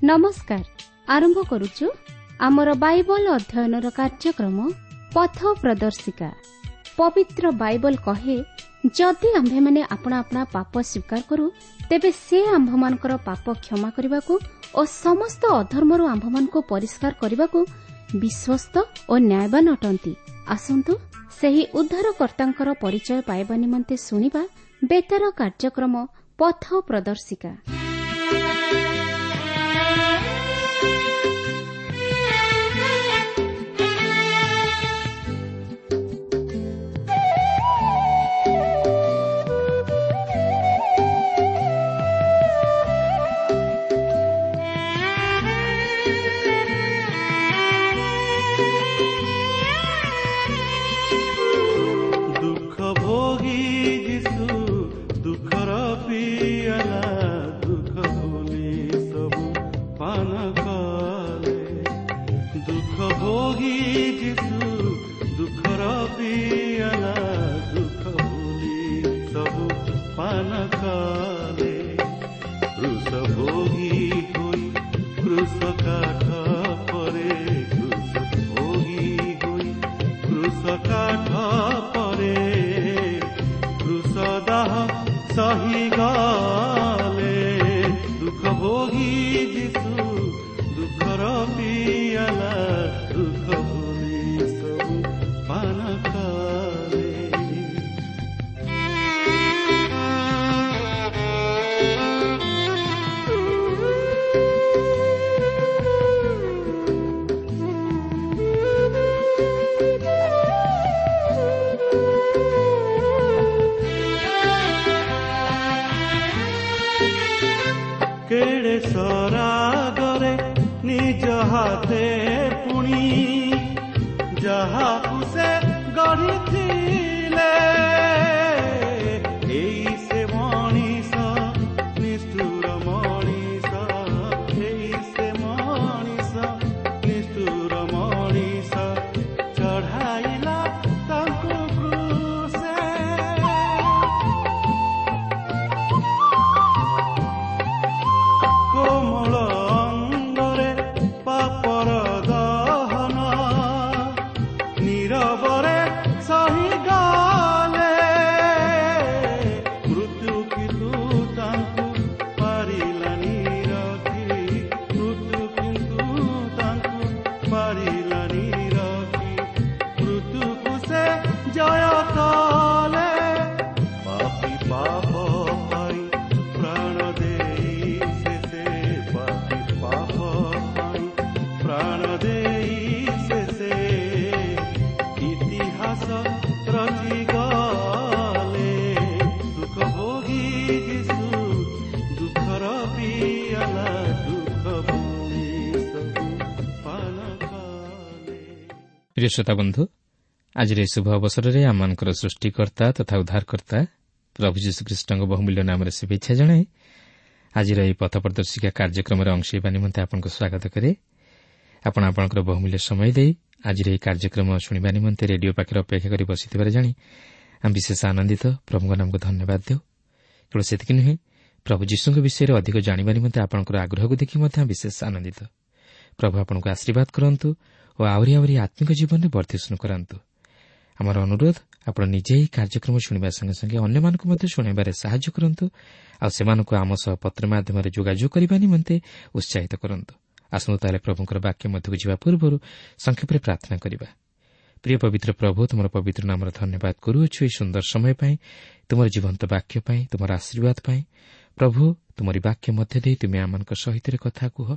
ନମସ୍କାର। ଆରମ୍ଭ କରୁଛୁ ଆମର ବାଇବଲ ଅଧ୍ୟୟନର କାର୍ଯ୍ୟକ୍ରମ ପଥ ପ୍ରଦର୍ଶିକା। ପବିତ୍ର ବାଇବଲ କହେ, ଯଦି ଆମ୍ଭେମାନେ ଆପଣା ଆପଣା ପାପ ସ୍ୱୀକାର କରୁ, ତେବେ ସେ ଆମ୍ଭମାନଙ୍କର ପାପ କ୍ଷମା କରିବାକୁ ଓ ସମସ୍ତ ଅଧର୍ମରୁ ଆମ୍ଭମାନଙ୍କୁ ପରିଷ୍କାର କରିବାକୁ ବିଶ୍ୱସ୍ତ ଓ ନ୍ୟାୟବାନ ଅଟନ୍ତି। ଆସନ୍ତୁ ସେହି ଉଦ୍ଧାରକର୍ତ୍ତାଙ୍କର ପରିଚୟ ପାଇବା ନିମନ୍ତେ ଶୁଣିବା ବେତାର କାର୍ଯ୍ୟକ୍ରମ ପଥ ପ୍ରଦର୍ଶିକା। ଦୁଃଖ ଭୋଗି ଯୀଶୁ ଦୁଃଖର ପିଆଲା ଦୁଃଖ ଭୁଲି ସବୁ ପାନ କଲେ। ଦୁଃଖ ଭୋଗି ଯୀଶୁ ଦୁଃଖର ପିଆଲା ଦୁଃଖ ଭୁଲି ସବୁ ପାନ କଲେ। କ୍ରୁଶ ଭୋଗି ହୋଇ କ୍ରୁଶ କାଠ ପରେ, କ୍ରୁଶ ଭୋଗି ହୋଇ କ୍ରୁଶ କାଠ ପରେ, କ୍ରୁଶ ଦାହ ସହି ଗଲେ। ଦୁଃଖ ଭୋଗି ଯୀଶୁ ଦୁଃଖର ପିଆଲା ଦୁଃଖ ଭୁଲି ସବୁ ପାନ କଲେ। କେଡ଼େ ସରାଗରେ ନିଜ ହାତେ ପୁଣି ଯାହାକୁ ସେ ଗଢ଼ିଥିଲେ, ଏଇ ସେ ମଣିଷ ନିଷ୍ଠୁର ମଣିଷ, ଏଇ ସେ ମଣିଷ ନିଷ୍ଠୁର ମଣିଷ ଚଢ଼ାଇଲା ତାଙ୍କୁ କ୍ରୁଶେ। କୋମଳ ଅଙ୍ଗରେ ପାପର ଦହନ ନୀରବରେ ସହିଗଲେ। ମୃତ୍ୟୁ କିନ୍ତୁ ତାଙ୍କୁ ପାରିଲାନି ରଖି, ମୃତ୍ୟୁ କିନ୍ତୁ ତାଙ୍କୁ ପାରିଲାନି ରଖି, ମୃତ୍ୟୁକୁ ସେ ଜୟ କଲେ। ପାପୀ ପାପ ପାଇଁ ପ୍ରାଣ ଦେଇ ଶେଷେ, ପାପୀ ପାପ ପାଇଁ ପ୍ରାଣ ଦେଇ ଶେଷେ ଇତିହାସ ରଚି ଗଲେ। ଦୁଃଖ ଭୋଗି ଯୀଶୁ ଦୁଃଖର ପିଆଲା ଦୁଃଖ ଭୁଲି ସବୁ ପାନ କଲେ। ପ୍ରିୟ ଶ୍ରୋତା ବନ୍ଧୁ, ଆଜିର ଏହି ଶୁଭ ଅବସରରେ ଆମମାନଙ୍କର ସୃଷ୍ଟିକର୍ତ୍ତା ତଥା ଉଦ୍ଧାରକର୍ତ୍ତା ପ୍ରଭୁ ଯୀଶୁଖ୍ରୀଷ୍ଟଙ୍କ ବହୁମୂଲ୍ୟ ନାମରେ ଶୁଭେଚ୍ଛା ଜଣାଇ ଆଜିର ଏହି ପଥ ପ୍ରଦର୍ଶିକା କାର୍ଯ୍ୟକ୍ରମରେ ଅଂଶ ହେବା ନିମନ୍ତେ ଆପଣଙ୍କୁ ସ୍ୱାଗତ କରେ। ଆପଣ ଆପଣଙ୍କର ବହୁମୂଲ୍ୟ ସମୟ ଦେଇ ଆଜିର ଏହି କାର୍ଯ୍ୟକ୍ରମ ଶୁଣିବା ନିମନ୍ତେ ରେଡିଓ ପାଖରେ ଅପେକ୍ଷା କରି ବସିଥିବାର ଜାଣି ଆମେ ବିଶେଷ ଆନନ୍ଦିତ। ପ୍ରଭୁଙ୍କ ନାମକୁ ଧନ୍ୟବାଦ ଦେଉ। କେବଳ ସେତିକି ନୁହେଁ, ପ୍ରଭୁ ଯୀଶୁଙ୍କ ବିଷୟରେ ଅଧିକ ଜାଣିବା ନିମନ୍ତେ ଆପଣଙ୍କର ଆଗ୍ରହକୁ ଦେଖି ମଧ୍ୟ ଆମେ ବିଶେଷ ଆନନ୍ଦିତ। ପ୍ରଭୁ ଆପଣଙ୍କୁ ଆଶୀର୍ବାଦ କରନ୍ତୁ ଓ ଆହୁରି ଆହୁରି ଆତ୍ମିକ ଜୀବନରେ ବର୍ଦ୍ଧିଷ୍ଣୁ କରାନ୍ତୁ। ଆମର ଅନୁରୋଧ, ଆପଣ ନିଜେ ଏହି କାର୍ଯ୍ୟକ୍ରମ ଶୁଣିବା ସଙ୍ଗେ ସଙ୍ଗେ ଅନ୍ୟମାନଙ୍କୁ ମଧ୍ୟ ଶୁଣାଇବାରେ ସାହାଯ୍ୟ କରନ୍ତୁ ଆଉ ସେମାନଙ୍କୁ ଆମ ସହ ପତ୍ର ମାଧ୍ୟମରେ ଯୋଗାଯୋଗ କରିବା ନିମନ୍ତେ ଉତ୍ସାହିତ କରନ୍ତୁ। ଆସନ୍ତୁ ତାହେଲେ ପ୍ରଭୁଙ୍କର ବାକ୍ୟ ମଧ୍ୟକୁ ଯିବା ପୂର୍ବରୁ ସଂକ୍ଷେପରେ ପ୍ରାର୍ଥନା କରିବା। ପ୍ରିୟ ପବିତ୍ର ପ୍ରଭୁ, ତୁମର ପବିତ୍ର ନାମର ଧନ୍ୟବାଦ କରୁଅଛୁ ଏହି ସୁନ୍ଦର ସମୟ ପାଇଁ, ତୁମର ଜୀବନ୍ତ ବାକ୍ୟ ପାଇଁ, ତୁମର ଆଶୀର୍ବାଦ ପାଇଁ। ପ୍ରଭୁ, ତୁମରି ବାକ୍ୟ ମଧ୍ୟ ଦେଇ ତୁମେ ଆମମାନଙ୍କ ସହିତ କଥା କୁହ,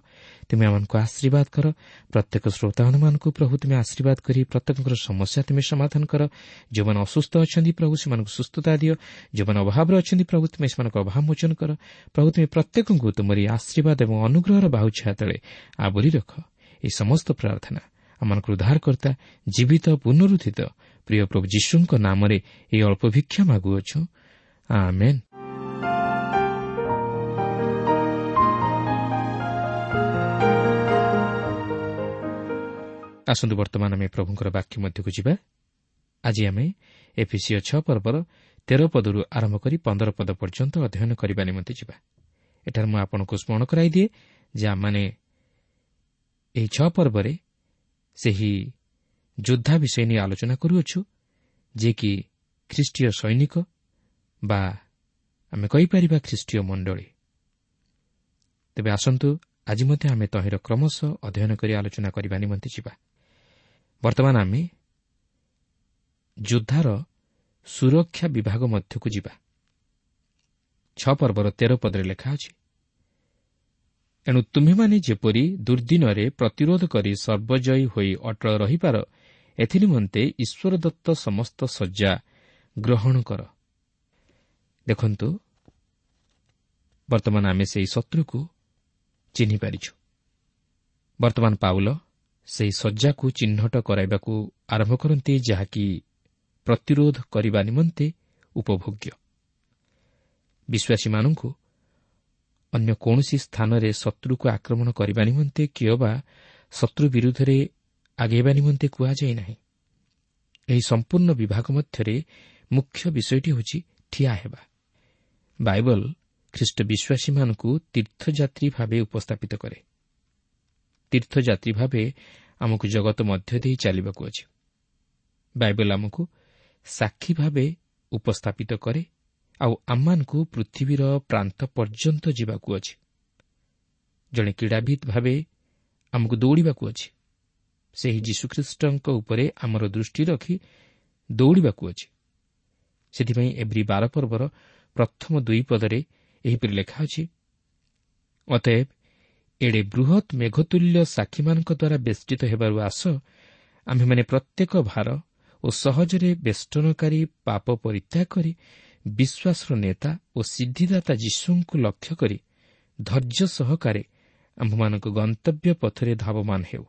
ତୁମେ ଆମମାନଙ୍କୁ ଆଶୀର୍ବାଦ କର। ପ୍ରତ୍ୟେକ ଶ୍ରୋତାମାନଙ୍କୁ ପ୍ରଭୁ ତୁମେ ଆଶୀର୍ବାଦ କରି ପ୍ରତ୍ୟେକଙ୍କର ସମସ୍ୟା ତୁମେ ସମାଧାନ କର। ଯେଉଁମାନେ ଅସୁସ୍ଥ ଅଛନ୍ତି ପ୍ରଭୁ ସେମାନଙ୍କୁ ସୁସ୍ଥତା ଦିଅ। ଯେଉଁମାନେ ଅଭାବରେ ଅଛନ୍ତି ପ୍ରଭୁ ତୁମେ ସେମାନଙ୍କ ଅଭାବ ମୋଚନ କର। ପ୍ରଭୁ ତୁମେ ପ୍ରତ୍ୟେକଙ୍କୁ ତୁମରି ଆଶୀର୍ବାଦ ଏବଂ ଅନୁଗ୍ରହର ବାହୁ ଛାୟା ତଳେ ଆବୋରି ରଖ। ଏହି ସମସ୍ତ ପ୍ରାର୍ଥନା ଆମମାନଙ୍କର ଉଦ୍ଧାରକର୍ତ୍ତା ଜୀବିତ ପୁନରୁତ୍ଥିତ ପ୍ରିୟ ପ୍ରଭୁ ଯୀଶୁଙ୍କ ନାମରେ ଏହି ଅଳ୍ପ ଭିକ୍ଷା ମାଗୁଅଛୁ, ଆମେନ୍। ଆସନ୍ତୁ ବର୍ତ୍ତମାନ ଆମେ ପ୍ରଭୁଙ୍କର ବାକ୍ୟ ମଧ୍ୟକୁ ଯିବା। ଆଜି ଆମେ ଏଫିସୀୟ 6 ପର୍ବର 13 ପଦରୁ ଆରମ୍ଭ କରି 15 ପଦ ପର୍ଯ୍ୟନ୍ତ ଅଧ୍ୟୟନ କରିବା ନିମନ୍ତେ ଯିବା। ଏଠାରେ ମୁଁ ଆପଣଙ୍କୁ ସ୍ମରଣ କରାଇଦିଏ ଯେ ଆମମାନେ ଏହି 6 ପର୍ବରେ ସେହି ଯୋଦ୍ଧା ବିଷୟ ନେଇ ଆଲୋଚନା କରୁଅଛୁ, ଯିଏକି ଖ୍ରୀଷ୍ଟୀୟ ସୈନିକ ବା ଆମେ କହିପାରିବା ଖ୍ରୀଷ୍ଟୀୟ ମଣ୍ଡଳୀ। ତେବେ ଆସନ୍ତୁ ଆଜି ମଧ୍ୟ ଆମେ ତହିଁର କ୍ରମଶଃ ଅଧ୍ୟୟନ କରି ଆଲୋଚନା କରିବା ନିମନ୍ତେ ଯିବା। ବର୍ତ୍ତମାନ ଆମେ ଯୋଦ୍ଧାର ସୁରକ୍ଷା ବିଭାଗ ମଧ୍ୟକୁ ଯିବା। 6 ପର୍ବର 13 ପଦରେ ଲେଖା ଅଛି, ଏଣୁ ତୁମ୍ଭେମାନେ ଯେପରି ଦୁର୍ଦ୍ଦିନରେ ପ୍ରତିରୋଧ କରି ସର୍ବଜୟୀ ହୋଇ ଅଟଳ ରହିପାର, ଏଥିନିମନ୍ତେ ଈଶ୍ୱର ଦତ୍ତ ସମସ୍ତ ଶଯ୍ୟା ଗ୍ରହଣ କର। ଦେଖନ୍ତୁ, ବର୍ତ୍ତମାନ ଆମେ ସେହି ଶତ୍ରୁକୁ ଚିହ୍ନିପାରିଛୁ। ବର୍ତ୍ତମାନ ପାଉଲ ସେହି ଶଯ୍ୟାକୁ ଚିହ୍ନଟ କରାଇବାକୁ ଆରମ୍ଭ କରନ୍ତି, ଯାହାକି ପ୍ରତିରୋଧ କରିବା ନିମନ୍ତେ ଉପଭୋଗ୍ୟ। ବିଶ୍ୱାସୀମାନଙ୍କୁ ଅନ୍ୟ କୌଣସି ସ୍ଥାନରେ ଶତ୍ରୁକୁ ଆକ୍ରମଣ କରିବା ନିମନ୍ତେ କିମ୍ବା ଶତ୍ରୁ ବିରୁଦ୍ଧରେ ଆଗେଇବା ନିମନ୍ତେ କୁହାଯାଇ ନାହିଁ। ଏହି ସମ୍ପୂର୍ଣ୍ଣ ବିଭାଗ ମଧ୍ୟରେ ମୁଖ୍ୟ ବିଷୟଟି ହେଉଛି ଠିଆ ହେବା। ବାଇବଲ ଖ୍ରୀଷ୍ଟ ବିଶ୍ୱାସୀମାନଙ୍କୁ ତୀର୍ଥଯାତ୍ରୀ ଭାବେ ଉପସ୍ଥାପିତ କରେ। ତୀର୍ଥଯାତ୍ରୀ ଭାବେ ଆମକୁ ଜଗତ ମଧ୍ୟ ଦେଇ ଚାଲିବାକୁ ଅଛି। ବାଇବଲ ଆମକୁ ସାକ୍ଷୀ ଭାବେ ଉପସ୍ଥାପିତ କରେ ଆଉ ଆମମାନଙ୍କୁ ପୃଥିବୀର ପ୍ରାନ୍ତ ପର୍ଯ୍ୟନ୍ତ ଯିବାକୁ ଅଛି। ଜଣେ କ୍ରୀଡ଼ାବିତ୍ ଭାବେ ଆମକୁ ଦୌଡ଼ିବାକୁ ଅଛି। ସେହି ଯୀଶୁଖ୍ରୀଷ୍ଟଙ୍କ ଉପରେ ଆମର ଦୃଷ୍ଟି ରଖି ଦୌଡ଼ିବାକୁ ଅଛି। ସେଥିପାଇଁ ଏବ୍ରୀ 12 ପର୍ବର ପ୍ରଥମ 2 ପଦରେ ଏହିପରି ଲେଖା ଅଛି, ଅତଏବ ଏଡ଼େ ବୃହତ୍ ମେଘତୁଲ୍ୟ ସାକ୍ଷୀମାନଙ୍କ ଦ୍ୱାରା ବେଷ୍ଟିତ ହେବାରୁ ଆସ, ଆମ୍ଭେମାନେ ପ୍ରତ୍ୟେକ ଭାର ଓ ସହଜରେ ବେଷ୍ଟନକାରୀ ପାପ ପରିତ୍ୟାଗ କରି ବିଶ୍ୱାସର ନେତା ଓ ସିଦ୍ଧିଦାତା ଯୀଶୁଙ୍କୁ ଲକ୍ଷ୍ୟ କରି ଧୈର୍ଯ୍ୟ ସହକାରେ ଆମ୍ଭମାନଙ୍କ ଗନ୍ତବ୍ୟ ପଥରେ ଧାବମାନ ହେଉ।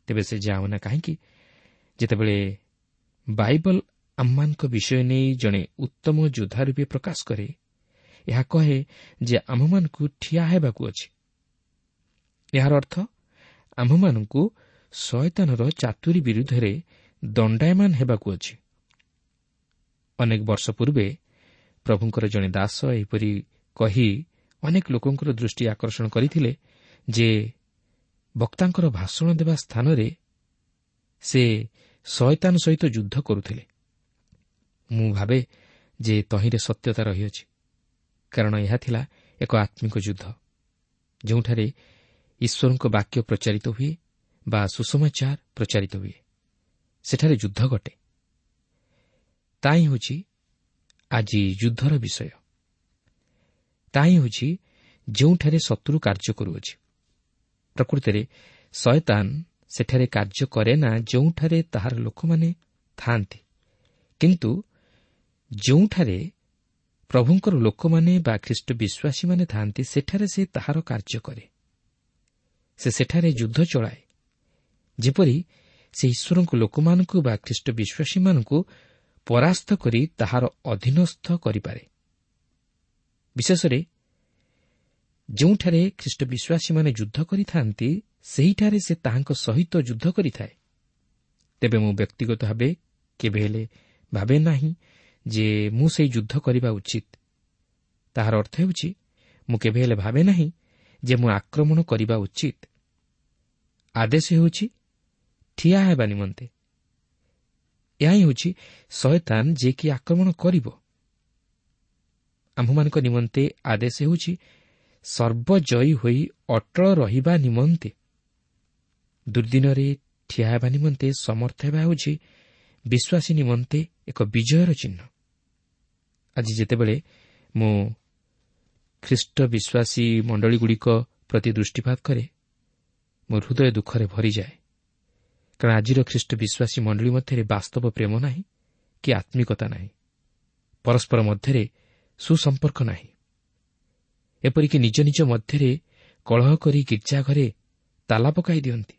ତେବେ ସେ ଯାଉନା କାହିଁକି, ଯେତେବେଳେ ବାଇବଲ ଆମମାନଙ୍କ ବିଷୟ ନେଇ ଜଣେ ଉତ୍ତମ ଯୋଦ୍ଧା ରୂପେ ପ୍ରକାଶ କରେ, ଏହା କହେ ଯେ ଆମ୍ଭମାନଙ୍କୁ ଠିଆ ହେବାକୁ ଅଛି। ଏହାର ଅର୍ଥ ଆମ୍ଭମାନଙ୍କୁ ଶୟତାନର ଚାତୁରୀ ବିରୁଦ୍ଧରେ ଦଣ୍ଡାୟମାନ ହେବାକୁ ଅଛି। ଅନେକ ବର୍ଷ ପୂର୍ବେ ପ୍ରଭୁଙ୍କର ଜଣେ ଦାସ ଏହିପରି କହି ଅନେକ ଲୋକଙ୍କର ଦୃଷ୍ଟି ଆକର୍ଷଣ କରିଥିଲେ ଯେ ବକ୍ତାଙ୍କର ଭାଷଣ ଦେବା ସ୍ଥାନରେ ସେ ଶୟତାନ ସହିତ ଯୁଦ୍ଧ କରୁଥିଲେ। ମୁଁ ଭାବେ ଯେ ତହିଁରେ ସତ୍ୟତା ରହିଅଛି, କାରଣ ଏହା ଥିଲା ଏକ ଆତ୍ମିକ ଯୁଦ୍ଧ, ଯେଉଁଠାରେ ଈଶ୍ୱରଙ୍କ ବାକ୍ୟ ପ୍ରଚାରିତ ହୁଏ ବା ସୁସମାଚାର ପ୍ରଚାରିତ ହୁଏ। ସେଠାରେ ଯୁଦ୍ଧ ଘଟେ। ତାହା ହେଉଛି ଆଜି ଯୁଦ୍ଧର ବିଷୟ। ତାହା ହେଉଛି ଯେଉଁଠାରେ ଶତ୍ରୁ କାର୍ଯ୍ୟ କରୁଅଛି। ପ୍ରକୃତରେ ଶୟତାନ ସେଠାରେ କାର୍ଯ୍ୟ କରେ ନା ଯେଉଁଠାରେ ତାହାର ଲୋକମାନେ ଥାଆନ୍ତି, କିନ୍ତୁ ଯେଉଁଠାରେ ପ୍ରଭୁଙ୍କର ଲୋକମାନେ ବା ଖ୍ରୀଷ୍ଟ ବିଶ୍ୱାସୀମାନେ ଥାଆନ୍ତି, ସେଠାରେ ସେ ତାହାର କାର୍ଯ୍ୟ କରେ। ସେ ସେଠାରେ ଯୁଦ୍ଧ ଚଳାଏ, ଯେପରି ସେ ଈଶ୍ୱରଙ୍କ ଲୋକମାନଙ୍କୁ ବା ଖ୍ରୀଷ୍ଟ ବିଶ୍ୱାସୀମାନଙ୍କୁ ପରାସ୍ତ କରି ତାହାର ଅଧୀନସ୍ଥ କରିପାରେ। ବିଶେଷରେ ଯେଉଁଠାରେ ଖ୍ରୀଷ୍ଟ ବିଶ୍ୱାସୀମାନେ ଯୁଦ୍ଧ କରିଥାନ୍ତି, ସେହିଠାରେ ସେ ତାହାଙ୍କ ସହିତ ଯୁଦ୍ଧ କରିଥାଏ। ତେବେ ମୁଁ ବ୍ୟକ୍ତିଗତ ଭାବେ କେବେ ହେଲେ ଭାବେ ନାହିଁ ଯେ ମୁଁ ସେହି ଯୁଦ୍ଧ କରିବା ଉଚିତ। ତାହାର ଅର୍ଥ ହେଉଛି ମୁଁ କେବେ ହେଲେ ଭାବେ ନାହିଁ ଯେ ମୁଁ ଆକ୍ରମଣ କରିବା ଉଚିତ। ଆଦେଶ ହେଉଛି ଠିଆ ହେବା ନିମନ୍ତେ। ଏହା ହିଁ ହେଉଛି ଶୟତାନ ଯିଏକି ଆକ୍ରମଣ କରିବ। ଆମ୍ଭମାନଙ୍କ ନିମନ୍ତେ ଆଦେଶ ହେଉଛି ସର୍ବଜୟୀ ହୋଇ ଅଟଳ ରହିବା ନିମନ୍ତେ। ଦୁର୍ଦିନରେ ଠିଆ ହେବା ନିମନ୍ତେ ସମର୍ଥ ହେବା ହେଉଛି ବିଶ୍ୱାସୀ ନିମନ୍ତେ ଏକ ବିଜୟର ଚିହ୍ନ। ଆଜି ଯେତେବେଳେ ମୁଁ ଖ୍ରୀଷ୍ଟ ବିଶ୍ୱାସୀ ମଣ୍ଡଳୀଗୁଡ଼ିକ ପ୍ରତି ଦୃଷ୍ଟିପାତ କରେ, ମୋ ହୃଦୟ ଦୁଃଖରେ ଭରିଯାଏ, କାରଣ ଆଜିର ଖ୍ରୀଷ୍ଟ ବିଶ୍ୱାସୀ ମଣ୍ଡଳୀ ମଧ୍ୟରେ ବାସ୍ତବ ପ୍ରେମ ନାହିଁ କି ଆତ୍ମିକତା ନାହିଁ, ପରସ୍ପର ମଧ୍ୟରେ ସୁସମ୍ପର୍କ ନାହିଁ। ଏପରିକି ନିଜ ନିଜ ମଧ୍ୟରେ କଳହ କରି ଗିର୍ଜା ଘରେ ତାଲା ପକାଇ ଦିଅନ୍ତି।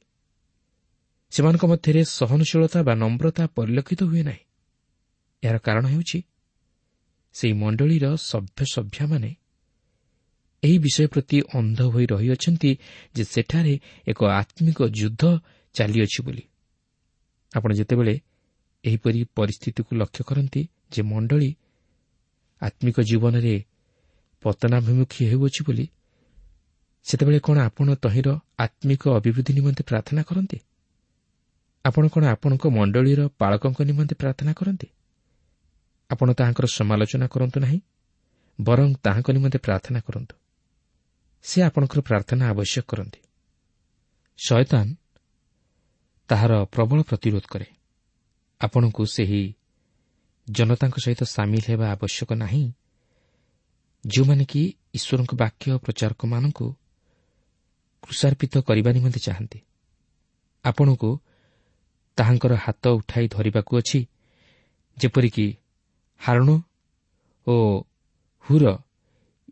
ସେମାନଙ୍କ ମଧ୍ୟରେ ସହନଶୀଳତା ବା ନମ୍ରତା ପରିଲକ୍ଷିତ ହୁଏ ନାହିଁ। ଏହାର କାରଣ ହେଉଛି ସେହି ମଣ୍ଡଳୀର ସଭ୍ୟସଭ୍ୟାମାନେ ଏହି ବିଷୟ ପ୍ରତି ଅନ୍ଧ ହୋଇ ରହିଅଛନ୍ତି ଯେ ସେଠାରେ ଏକ ଆତ୍ମିକ ଯୁଦ୍ଧ ଚାଲିଅଛି ବୋଲି। ଆପଣ ଯେତେବେଳେ ଏହିପରି ପରିସ୍ଥିତିକୁ ଲକ୍ଷ୍ୟ କରନ୍ତି ଯେ ମଣ୍ଡଳୀ ଆତ୍ମିକ ଜୀବନରେ ପତନାଭିମୁଖୀ ହେଉଅଛି ବୋଲି, ସେତେବେଳେ କ'ଣ ଆପଣ ତହିଁର ଆତ୍ମିକ ଅଭିବୃଦ୍ଧି ନିମନ୍ତେ ପ୍ରାର୍ଥନା କରନ୍ତି? ଆପଣ କ'ଣ ଆପଣଙ୍କ ମଣ୍ଡଳୀର ପାଳକଙ୍କ ନିମନ୍ତେ ପ୍ରାର୍ଥନା କରନ୍ତି? ଆପଣ ତାହାଙ୍କର ସମାଲୋଚନା କରନ୍ତୁ ନାହିଁ, ବରଂ ତାହାଙ୍କ ନିମନ୍ତେ ପ୍ରାର୍ଥନା କରନ୍ତୁ। ସେ ଆପଣଙ୍କର ପ୍ରାର୍ଥନା ଆବଶ୍ୟକ କରନ୍ତି। ଶୟତାନ ତାହାର ପ୍ରବଳ ପ୍ରତିରୋଧ କରେ। ଆପଣଙ୍କୁ ସେହି ଜନତାଙ୍କ ସହିତ ସାମିଲ ହେବା ଆବଶ୍ୟକ ନାହିଁ, ଯେଉଁମାନେ କି ଈଶ୍ୱରଙ୍କ ବାକ୍ୟ ପ୍ରଚାରକମାନଙ୍କୁ କୃଷାର୍ପିତ କରିବା ନିମନ୍ତେ ଚାହାନ୍ତି। ଆପଣଙ୍କୁ ତାହାଙ୍କର ହାତ ଉଠାଇ ଧରିବାକୁ ଅଛି, ଯେପରିକି ହାରଣ ଓ ହୁର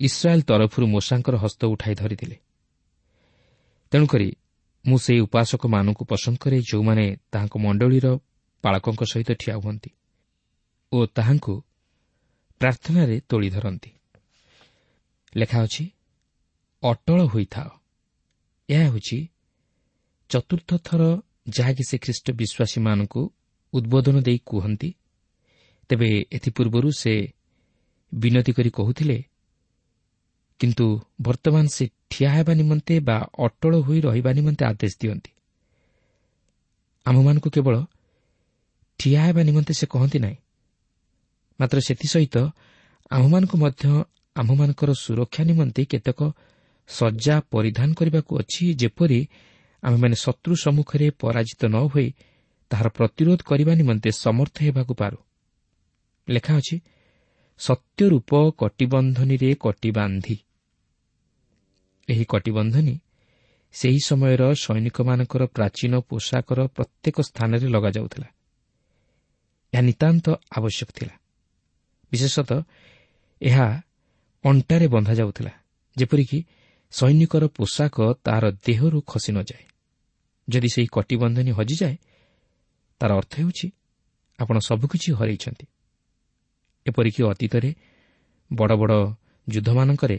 ଇସ୍ରାଏଲ୍ ତରଫରୁ ମୋଶାଙ୍କର ହସ୍ତ ଉଠାଇ ଧରିଥିଲେ। ତେଣୁକରି ମୁଁ ସେହି ଉପାସକମାନଙ୍କୁ ପସନ୍ଦ କରେ ଯେଉଁମାନେ ତାହାଙ୍କ ମଣ୍ଡଳୀର ପାଳକଙ୍କ ସହିତ ଠିଆ ହୁଅନ୍ତି ଓ ତାହାଙ୍କୁ ପ୍ରାର୍ଥନାରେ ତୋଳି ଧରନ୍ତି। ଲେଖା ଅଛି, ଅଟଳ ହୋଇଥାଅ। ଏହା ହେଉଛି ଚତୁର୍ଥ ଥର ଯାହାକି ସେ ଖ୍ରୀଷ୍ଟ ବିଶ୍ୱାସୀମାନଙ୍କୁ ଉଦ୍ବୋଧନ ଦେଇ କୁହନ୍ତି। ତେବେ ଏଥିପୂର୍ବରୁ ସେ ବିନତି କରି କହୁଥିଲେ, କିନ୍ତୁ ବର୍ତ୍ତମାନ ସେ ଠିଆ ହେବା ନିମନ୍ତେ ବା ଅଟଳ ହୋଇ ରହିବା ନିମନ୍ତେ ଆଦେଶ ଦିଅନ୍ତି। ଆମ୍ଭମାନଙ୍କୁ କେବଳ ଠିଆ ହେବା ନିମନ୍ତେ ସେ କହନ୍ତି ନାହିଁ, ମାତ୍ର ସେଥିସହିତ ଆମ୍ଭମାନଙ୍କୁ ମଧ୍ୟ ଆମ୍ଭମାନଙ୍କର ସୁରକ୍ଷା ନିମନ୍ତେ କେତେକ ସଜ୍ଜା ପରିଧାନ କରିବାକୁ ଅଛି, ଯେପରି ଆମ୍ଭେମାନେ ଶତ୍ରୁ ସମ୍ମୁଖରେ ପରାଜିତ ନ ହୋଇ ତାହାର ପ୍ରତିରୋଧ କରିବା ନିମନ୍ତେ ସମର୍ଥ ହେବାକୁ ପାରୁ। ଲେଖା ଅଛି, ସତ୍ୟରୂପ କଟିବନ୍ଧନୀରେ କଟିବାନ୍ଧି। ଏହି କଟିବନ୍ଧନୀ ସେହି ସମୟର ସୈନିକମାନଙ୍କର ପ୍ରାଚୀନ ପୋଷାକର ପ୍ରତ୍ୟେକ ସ୍ଥାନରେ ଲଗାଯାଉଥିଲା। ଏହା ନିତାନ୍ତ ଆବଶ୍ୟକ ଥିଲା। ବିଶେଷତଃ ଏହା ଅଣ୍ଟାରେ ବନ୍ଧାଯାଉଥିଲା, ଯେପରିକି ସୈନିକର ପୋଷାକ ତାହାର ଦେହରୁ ଖସି ନଯାଏ। ଯଦି ସେହି କଟିବନ୍ଧନୀ ହଜିଯାଏ, ତାର ଅର୍ଥ ହେଉଛି ଆପଣ ସବୁକିଛି ହରାଇଛନ୍ତି। ଏପରିକି ଅତୀତରେ ବଡ଼ ବଡ଼ ଯୁଦ୍ଧମାନଙ୍କରେ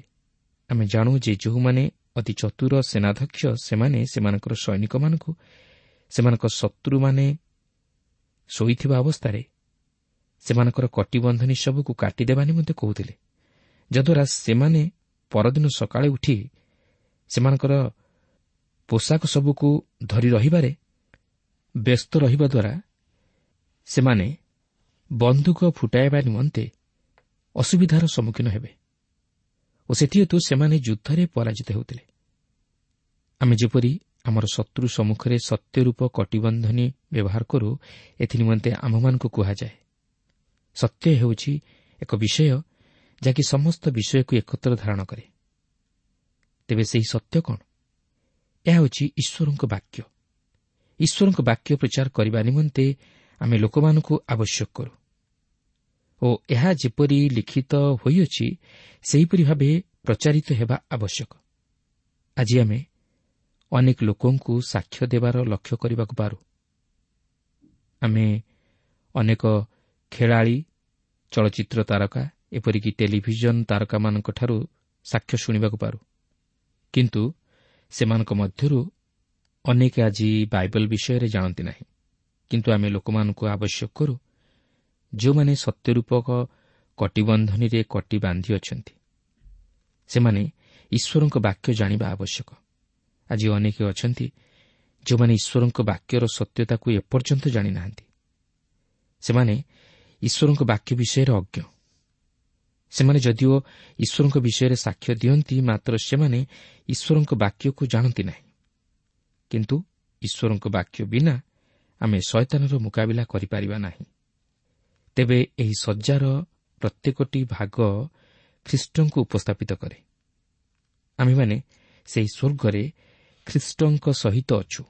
ଆମେ ଜାଣୁ ଯେ ଯେଉଁମାନେ ଅତି ଚତୁର ସେନାଧ୍ୟକ୍ଷ, ସେମାନେ ସେମାନଙ୍କର ସୈନିକମାନଙ୍କୁ ସେମାନଙ୍କ ଶତ୍ରୁମାନେ ଶୋଇଥିବା ଅବସ୍ଥାରେ ସେମାନଙ୍କର କଟିବନ୍ଧନୀ ସବୁକୁ କାଟିଦେବା ନିମନ୍ତେ କହୁଥିଲେ, ଯଦ୍ୱାରା ସେମାନେ ପରଦିନ ସକାଳେ ଉଠି ସେମାନଙ୍କର ପୋଷାକ ସବୁକୁ ଧରି ରହିବାରେ ବ୍ୟସ୍ତ ରହିବା ଦ୍ୱାରା ସେମାନେ ବନ୍ଧୁକ ଫୁଟାଇବା ନିମନ୍ତେ ଅସୁବିଧାର ସମ୍ମୁଖୀନ ହେବେ ଓ ସେଥିହେତୁ ସେମାନେ ଯୁଦ୍ଧରେ ପରାଜିତ ହେଉଥିଲେ। ଆମେ ଯେପରି ଆମର ଶତ୍ରୁ ସମ୍ମୁଖରେ ସତ୍ୟରୂପ କଟିବନ୍ଧନୀ ବ୍ୟବହାର କରୁ, ଏଥିନିମନ୍ତେ ଆମ୍ଭମାନଙ୍କୁ କୁହାଯାଏ। ସତ୍ୟ ହେଉଛି ଏକ ବିଷୟ ଯାହାକି ସମସ୍ତ ବିଷୟକୁ ଏକତ୍ର ଧାରଣ କରେ। ତେବେ ସେହି ସତ୍ୟ କ'ଣ? ଏହା ହେଉଛି ଈଶ୍ୱରଙ୍କ ବାକ୍ୟ। ଈଶ୍ୱରଙ୍କ ବାକ୍ୟ ପ୍ରଚାର କରିବା ନିମନ୍ତେ ଆମେ ଲୋକମାନଙ୍କୁ ଆବଶ୍ୟକ କରୁ ଓ ଏହା ଯେପରି ଲିଖିତ ହୋଇଅଛି ସେହିପରି ଭାବେ ପ୍ରଚାରିତ ହେବା ଆବଶ୍ୟକ। ଆଜି ଆମେ ଅନେକ ଲୋକଙ୍କୁ ସାକ୍ଷ୍ୟ ଦେବାର ଲକ୍ଷ୍ୟ କରିବାକୁ ପାରୁ। ଆମେ ଅନେକ ଖେଳାଳି, ଚଳଚ୍ଚିତ୍ର ତାରକା, ଏପରିକି ଟେଲିଭିଜନ ତାରକାମାନଙ୍କଠାରୁ ସାକ୍ଷ୍ୟ ଶୁଣିବାକୁ ପାରୁ, କିନ୍ତୁ ସେମାନଙ୍କ ମଧ୍ୟରୁ ଅନେକ ଆଜି ବାଇବଲ ବିଷୟରେ ଜାଣନ୍ତି ନାହିଁ। କିନ୍ତୁ ଆମେ ଲୋକମାନଙ୍କୁ ଆବଶ୍ୟକ କରୁ ଯେଉଁମାନେ ସତ୍ୟରୂପକ କଟିବନ୍ଧନୀରେ କଟି ବାନ୍ଧି ଅଛନ୍ତି। ସେମାନେ ଈଶ୍ୱରଙ୍କ ବାକ୍ୟ ଜାଣିବା ଆବଶ୍ୟକ। ଆଜି ଅନେକ ଅଛନ୍ତି ଯେଉଁମାନେ ଈଶ୍ୱରଙ୍କ ବାକ୍ୟର ସତ୍ୟତାକୁ ଏପର୍ଯ୍ୟନ୍ତ ଜାଣିନାହାନ୍ତି। ସେମାନେ ଈଶ୍ୱରଙ୍କ ବାକ୍ୟ ବିଷୟରେ ଅଜ୍ଞ। ସେମାନେ ଯଦିଓ ଈଶ୍ୱରଙ୍କ ବିଷୟରେ ସାକ୍ଷ୍ୟ ଦିଅନ୍ତି, ମାତ୍ର ସେମାନେ ଈଶ୍ୱରଙ୍କ ବାକ୍ୟକୁ ଜାଣନ୍ତି ନାହିଁ। କିନ୍ତୁ ଈଶ୍ୱରଙ୍କ ବାକ୍ୟ ବିନା ଆମେ ଶୟତାନର ମୁକାବିଲା କରିପାରିବା ନାହିଁ। ତେବେ ଏହି ସଜ୍ଜାର ପ୍ରତ୍ୟେକଟି ଭାଗ ଖ୍ରୀଷ୍ଟଙ୍କୁ ଉପସ୍ଥାପିତ କରେ। ଆମେମାନେ ସେହି ସ୍ୱର୍ଗରେ ଖ୍ରୀଷ୍ଟଙ୍କ ସହିତ ଅଛୁ,